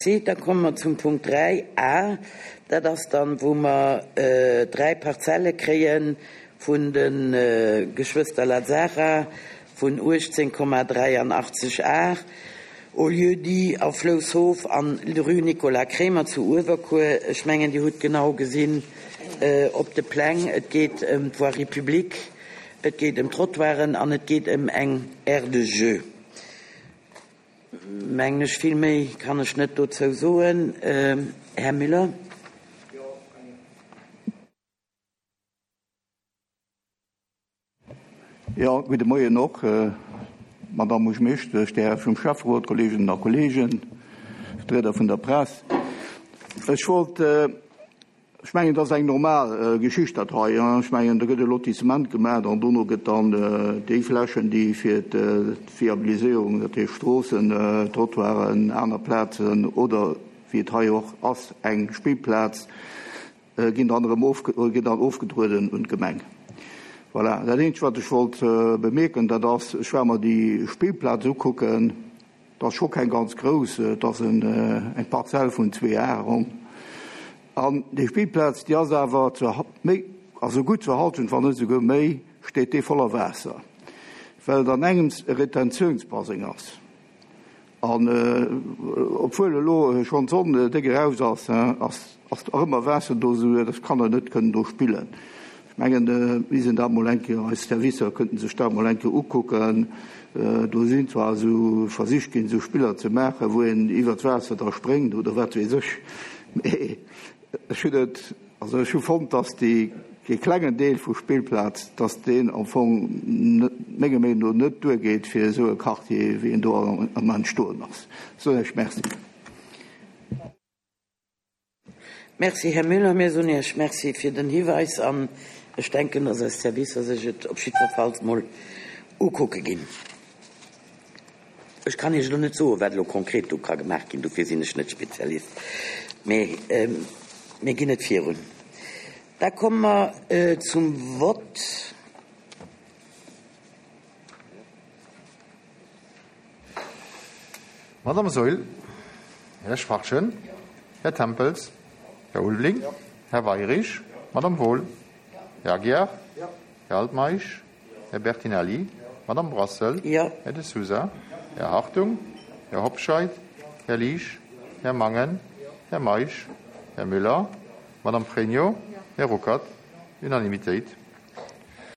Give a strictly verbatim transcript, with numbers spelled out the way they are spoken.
Da komme mer zum Punkt dräi a, dat ass dann, wou mer dräi Parzelle kréie vun de Geschwëster Lazzara vun uechtzéng Komma dräianachtzeg Ar au lieu-dit A Floushof an rue Nicolas Kremer zu Uewerkuer. Ech mengen, Dir hutt genau gesinn op de Pläng, et geet ëm d'Voirie publique, et geet ëm d'Trottoiren an et geet ëm eng Aire de jeu. Mengen ech, vill méi kann ech net dozou soen. Här Müller. Jo, gudde Moien och, Madamm Buergermeeschtesch, där Här vum Schäfferot, Kolleeginnen a Kolleegen, Vertrieder vun der Press. Ech wollt, ech mengen, et ass eng normal Geschicht dat hei. Ech mengen, do gëtt e Lotissement gemaach an dono gëtt dann déi Flächen, déi fir d'Viabiliséierung, dat heescht Stroossen, Trottoiren, aner Plazen oder wéi et hei och ass, eng Spillplaz, ginn dann erëm ginn dann ofgedrueden un d'Gemeng. Voilà. Dat Eenzegt, wat ech wollt bemierken, dat ass, ech war mer déi Spillplaz ukucken, dat ass scho keng ganz grouss, et ass eng Parzell vun zwee Ar ronn. An déi Spillplaz, déi ass awer zur méi, also gutt zur Halschent, wann net esouguer méi, steet déi voller Waasser, well et an engems e Retentiounsbaseng ass. An obwuel elo schonn d'Sonn déck eraus ass, ass ass nach ëmmer Waasser do, esou dass d'Kanner net kënnen do spillen. Ech mengen, mir sinn dat mol eng Kéier, eis Servicer kënnten sech dat mol eng Kéier ukucken. Do sinn zwar esou Versich ginn, esou Spiller ze maachen, wou een iwwer d'Waasser da spréngt oder wat weess ech, mee ech hunn et, also ech hu fonnt, dass déi, dee klengen Deel vu Spillplaz, dass deen am Fong net, menger Meenung no net duergeet fir esou e Quartier, wéi en do am Entstoen ass. Soen ech Merci. Merci, Här Müller. Mir soen Iech Merci fir den Hiweis an ech denken, dass eis Servicer sech et op jiddwerfalls mol ukucke ginn. Ech kann Iech elo net soen, wat elo konkret do ka gemaach ginn, dofir sinn ech net Spezialist, mee mir ginn et virun. Da komme mer zum Vott. Madame Saeul, Här Schwachtgen, Här Tempels, Här Ulveling, Här Weirich, Madame Wohl, Här Aguiar, Här Altmeisch, Här Bertinelli, Madame Brassel, Här De Sousa, Här Hartung, Här Hobscheit, Här Liesch, Här Mangen, Här Meisch, Här Müller, Madame Frénio, Här Ruckert. Unanimitéit.